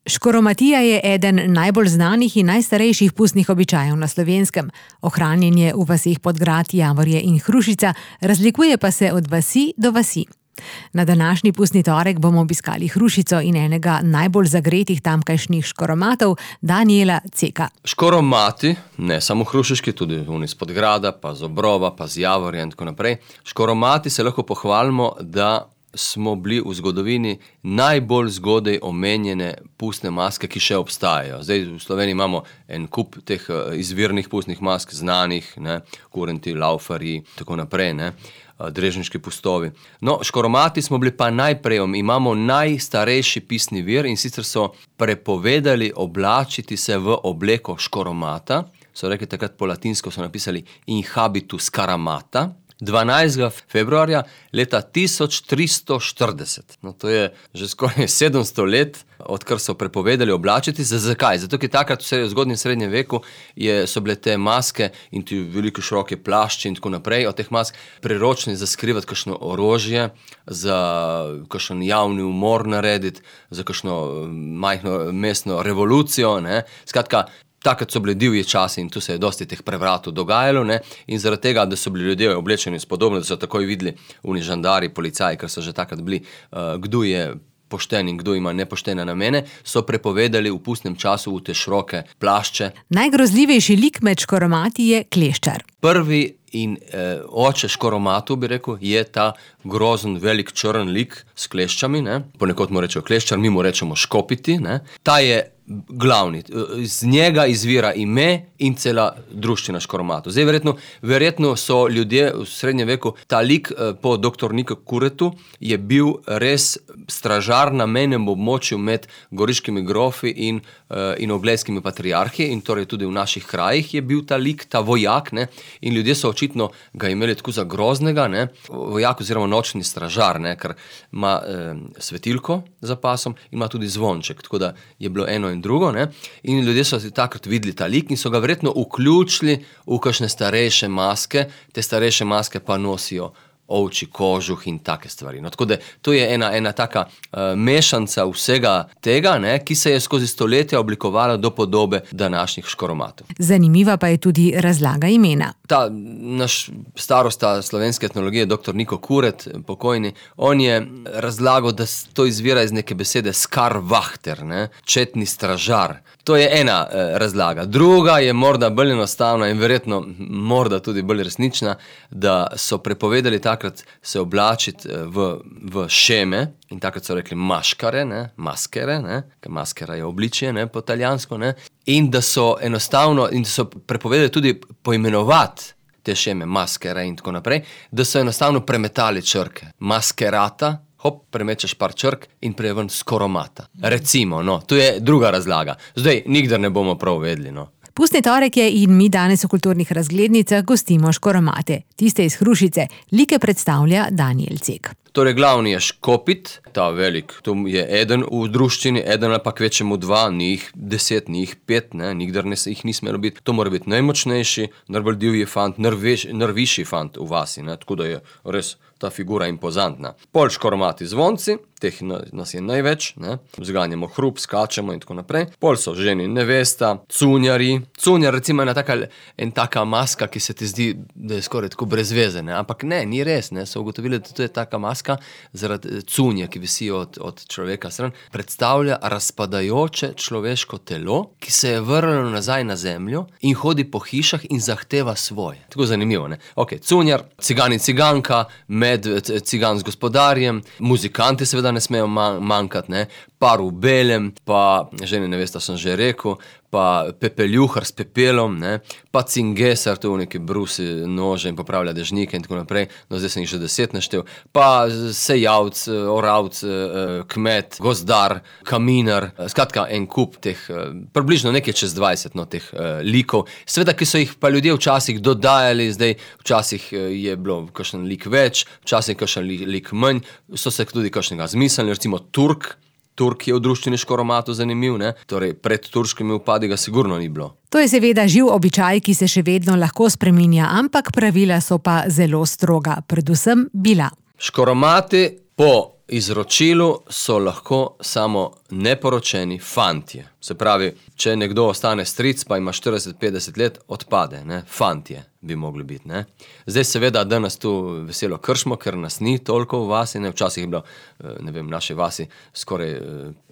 Škoromatija je eden najbolj znanih in najstarejših pustnih običajev na Slovenskem. Ohranjanje v vaseh Podgrad, Javorje in Hrušica razlikuje pa se od vasi do vasi. Na današnji pustni torek bomo obiskali Hrušico in enega najbolj zagretih tamkajšnjih škoromatov, Danijela Ceka. Škoromati, ne samo hrušiški, tudi oni iz Podgrada, pa z Obrova, pa z Javorja in tako naprej. Škoromati se lahko pohvalimo, da smo bili v zgodovini najbolj zgodaj omenjene pustne maske, ki še obstajajo. Zdaj v Sloveniji imamo en kup teh izvirnih pustnih mask, znanih, ne, kurenti, laufarji, tako naprej, ne, drežniški pustovi. No, škoromati smo bili pa najprej, imamo najstarejši pisni vir in sicer so prepovedali oblačiti se v obleko škoromata. So rekli takrat po latinsko, so napisali in habitus caramata. 12. februarja leta 1340. No, to je že skoraj 700 let, odkar so prepovedali oblačiti. Zakaj? Zato, ker takrat v zgodnjem srednjem veku so bile te maske in ti velike široke plašči in tako naprej od teh mask priročni za skrivati kakšno orožje, za kakšen javni umor narediti, za kakšno majhno mestno revolucijo, ne. Skratka, takrat so bili divji časi in tu se je dosti teh prevratov dogajalo, ne, in zaradi tega, da so bili ljudje oblečeni spodobno, da so takoj videli oni žandari, policaji, ker so že takrat bili, kdo je pošten in kdo ima nepoštene namene, so prepovedali v pustnem času v te široke plašče. Najgrozljivejši lik med škoromati je kleščar. Prvi in oče škoromatu, bi rekel, je ta grozen velik črn lik s kleščami, ne. Ponekod mu rečejo kleščar, mi mu rečemo škopiti, ne. Ta je glavni. Z njega izvira ime in cela druščina škoromatov. Zdaj, verjetno so ljudje v srednjem veku, ta lik po dr. Niku Kuretu je bil res stražar na mejnem območju med goriškimi grofi in oglejskimi patriarhi in torej tudi v naših krajih je bil ta lik, ta vojak, ne, in ljudje so očitno ga imeli tako za groznega, ne, vojak oziroma nočni stražar, ne, ker ima svetilko za pasom in ima tudi zvonček, tako da je bilo eno in drugo, ne, in ljudje so takrat videli ta lik in so ga verjetno vključili v kakšne starejše maske, te starejše maske pa nosijo ovčji kožuh in take stvari. No, tako da to je ena taka mešanca vsega tega, ne, ki se je skozi stoletja oblikovala do podobe današnjih škoromatov. Zanimiva pa je tudi razlaga imena. Ta naš starosta slovenske etnologije, dr. Niko Kuret, pokojni, on je razlagal, da to izvira iz neke besede skarvahter, ne, četni stražar. To je ena razlaga. Druga je morda bolj enostavna in verjetno morda tudi bolj resnična, da so prepovedali takrat se oblačiti v šeme in takrat so rekli maškare, ne, maskere, ne, ker maskera je obličje, ne, po italijansko, ne, in da so enostavno, in da so prepovedali tudi poimenovati te šeme, maskere in tako naprej, da so enostavno premetali črke. Maskerata, hop, premečeš par črk in prije ven škoromata. Recimo, no, to je druga razlaga. Zdaj, nikdar ne bomo prav vedeli, no. Pustni torek je in mi danes v kulturnih razglednicah gostimo škoromate. Tiste iz Hrušice. Like predstavlja Danijel Cek. Torej, glavni je škopit, ta velik, to je eden v druščini, eden ali pa kvečemu dva, ni jih 10, ni jih 5, ne, nikdar jih ni smelo biti. To mora biti najmočnejši, najbolj divji fant, najvišji fant v vasi, ne, tako da je res ta figura impozantna. Pol škoromati zvonci, teh nas je največ, ne, zganjamo hrup, skačemo in tako naprej. Pol so ženi nevesta, cunjari. Cunjar recimo je taka maska, ki se ti zdi, da je skoraj tako brez veze, ne, ampak ne, ni res, ne, so ugotovili, da to je taka maska zaradi cunje, ki visijo od človeka stran, predstavlja razpadajoče človeško telo, ki se je vrnilo nazaj na zemljo in hodi po hišah in zahteva svoje. Tako zanimivo, ne. Ok, cunjar, cigan in ciganka, cigan z gospodarjem, muzikanti seveda ne smejo manjkati, ne, par v belem, pa žene nevesta sem že rekel, pa pepeljuhar s pepelom, ne, pa cingesar, to v neki brusi nože in popravlja dežnike in tako naprej, no zdaj sem jih že 10 naštel, pa sejavc, oravc, kmet, gozdar, kaminar, skratka en kup teh, približno nekaj čez 20, no, teh likov, sveda, ki so jih pa ljudje včasih dodajali, zdaj včasih je bilo kakšen lik več, včasih kakšen lik manj, so se tudi kakšnega zmislili, recimo Turk je v druščini škoromatov zanimiv, ne? Torej, pred turškimi upadi ga sigurno ni bilo. To je seveda živ običaj, ki se še vedno lahko spreminja, ampak pravila so pa zelo stroga, predvsem bila. Škoromati po izročilu so lahko samo neporočeni fantje. Se pravi, če nekdo ostane stric, pa ima 40-50 let, odpade, ne? Fantje bi mogli biti, ne? Zdaj seveda danes tu veselo kršimo, ker nas ni toliko v vasi, ne? Včasih je bilo, ne vem, naše vasi skoraj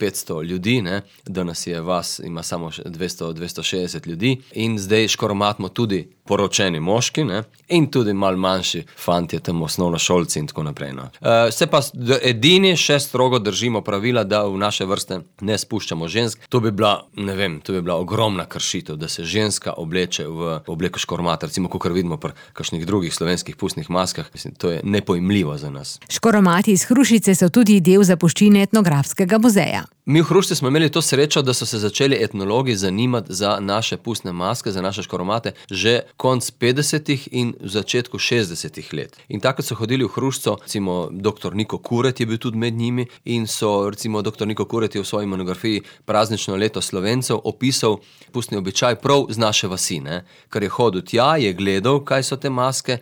500 ljudi, ne? Danes je vas, ima samo 200-260 ljudi in zdaj škoromatimo tudi poročeni moški, ne? In tudi malo manjši fantje, tam osnovnošolci in tako naprej, no. Se pa edini še strogo držimo pravila, da v naše vrste ne spuščamo žensk. To bi bila, ne vem, to bi bila ogromna kršitev, da se ženska obleče v obleko škoromata, recimo, kakor vidimo pri kakšnih drugih slovenskih pustnih maskah. Mislim, to je nepojmljivo za nas. Škoromati iz Hrušice so tudi del zapuščine etnografskega muzeja. Mi v Hrušici smo imeli to srečo, da so se začeli etnologi zanimati za naše pustne maske, za naše škoromate že konc 50. in v začetku 60. let. In takrat so hodili v Hrušico, recimo dr. Niko Kuret je bil tudi med njimi in so, recimo dr. Niko Kuret je v svoji monografiji Praznično leto Slovencev opisal pustni običaj prav z naše vasi, ne? Ker je hodil tja, je gledal, kaj so te maske,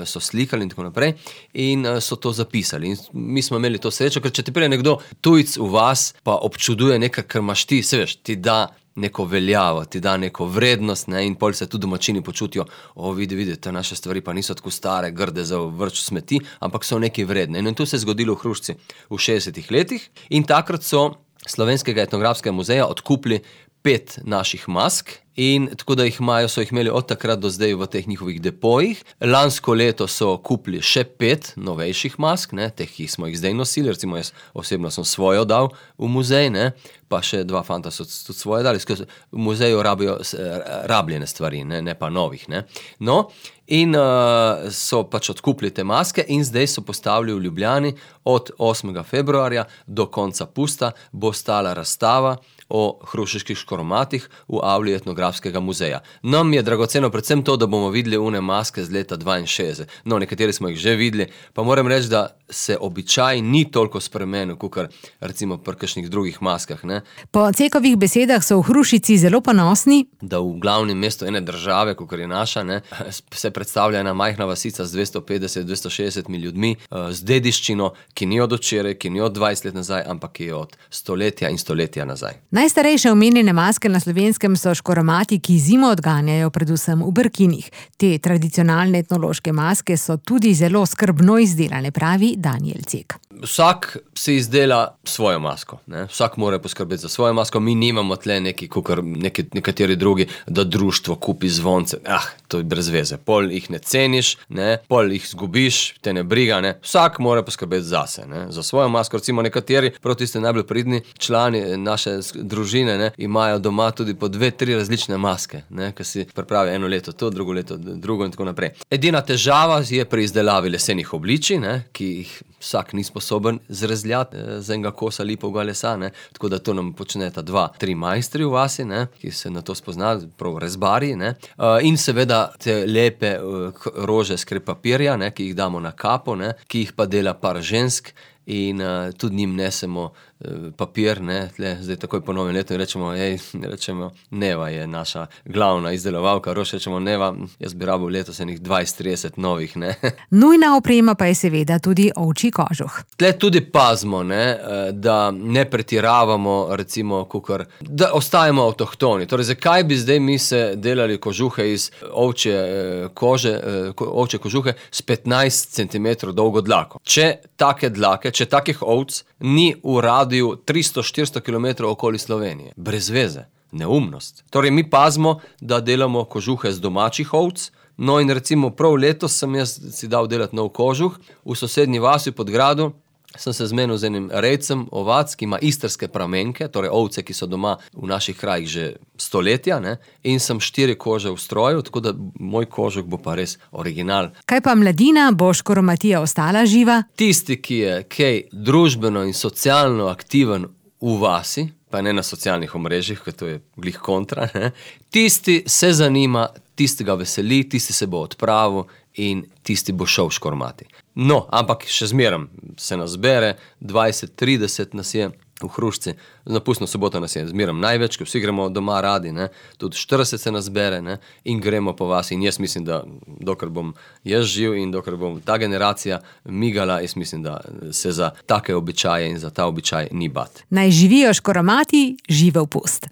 so slikali in tako naprej in so to zapisali. In mi smo imeli to srečo, ker če ti pride nekdo tujc v vas, pa občuduje nekaj, kar imaš ti, se veš, ti da neko veljavo, ti da neko vrednost, ne, in pol se tudi domačini počutijo, vidi, te naše stvari pa niso tako stare, grde za vrč smeti, ampak so nekaj vredne. In to se je zgodilo v Hrušici v 60. letih in takrat so Slovenskega etnografskega muzeja odkupili 5 naših mask in tako da so jih imeli od takrat do zdaj v teh njihovih depojih. Lansko leto so kupili še 5 novejših mask, ne, teh, ki smo jih zdaj nosili, recimo jaz osebno sem svojo dal v muzej, ne, pa še 2 fanta so tudi svoje dali. V muzeju rabijo rabljene stvari, ne pa novih, ne. No, in so pač odkupili te maske in zdaj so postavili v Ljubljani od 8. februarja do konca pusta bo stala razstava o hrušiških škoromatih v avli etnografskega muzeja. Nam je dragoceno predvsem to, da bomo videli une maske z leta 62. No, nekateri smo jih že videli, pa moram reči, da se običaj ni toliko spremenil, kakor recimo pri kakšnih drugih maskah, ne. Po Cekovih besedah so v Hrušici zelo ponosni, da v glavnem mestu ene države, kakor je naša, ne, se predstavlja ena majhna vasica z 250-260 ljudmi, z dediščino, ki ni od včeraj, ki ni od 20 let nazaj, ampak je od stoletja in stoletja nazaj. Najstarejše omenjene maske na Slovenskem so škoromati, ki zimo odganjajo predvsem v Brkinih. Te tradicionalne etnološke maske so tudi zelo skrbno izdelane, pravi Danijel Cek. Vsak si izdela svojo masko, ne? Vsak mora poskrbeti za svojo masko, mi nimamo tle nekateri drugi, da društvo kupi zvonce, to je brez veze, pol jih ne ceniš, ne? Pol jih zgubiš, te ne briga, ne? Vsak mora poskrbeti zase, ne? Za svojo masko, recimo nekateri, prav tiste najbolj pridni člani naše družine, ne? Imajo doma tudi po 2-3 različne maske, ne? Ki si pripravi eno leto to, drugo leto drugo in tako naprej. Edina težava je pri izdelavi lesenih obličij, ne? Ki jih vsak ni sposoben zrezljati z enega kosa lipovega lesa, ne? Tako da to nam počneta 2-3 majstri v vasi, ne? Ki se na to spoznajo, prav rezbarji, ne? In seveda te lepe rože s krepapirja, ne? Ki jih damo na kapo, ne? Ki jih pa dela par žensk in tudi njim nesemo papir, ne, tle, zdaj takoj po novem letu rečemo, Neva je naša glavna izdelovalka, rož rečemo, Neva, jaz bi rabil letos enih 20-30 novih, ne. Nujna oprema pa je seveda tudi ovčji kožuh. Tle tudi pazimo, ne, da ne pretiravamo, recimo, da ostajamo avtohtoni. Torej, zakaj bi zdaj mi se delali kožuhe iz ovčje kožuhe s 15 cm dolgo dlako? Če takih ovc ni v radiju 300-400 km okoli Slovenije. Brez veze. Neumnost. Torej, mi pazimo, da delamo kožuhe z domačih ovc, no in recimo prav letos sem jaz si dal delati nov kožuh v sosednji vasi pod gradu. Sem se zmenil z enim rejcem ovac, ki ima istrske pramenke, torej ovce, ki so doma v naših krajih že stoletja, ne? In sem 4 kože v stroju, tako da moj kožuh bo pa res original. Kaj pa mladina, bo škoromatija ostala živa? Tisti, ki je kaj družbeno in socialno aktiven v vasi, pa ne na socialnih omrežjih, ker to je glih kontra, ne? Tisti se zanima, tisti ga veseli, tisti se bo odpravil in tisti bo šel škoromati. No, ampak še zmeraj se nas bere, 20-30 nas je v Hrušci. Na pustno soboto nas je zmerom največ, ker vsi gremo doma radi, ne. Tudi 40 se nas zbere, ne, in gremo po vas. In jaz mislim, da dokler bom jaz živ in dokler bom ta generacija migala, jaz mislim, da se za take običaje in za ta običaj ni bat. Naj živijo škoromati, živel pust.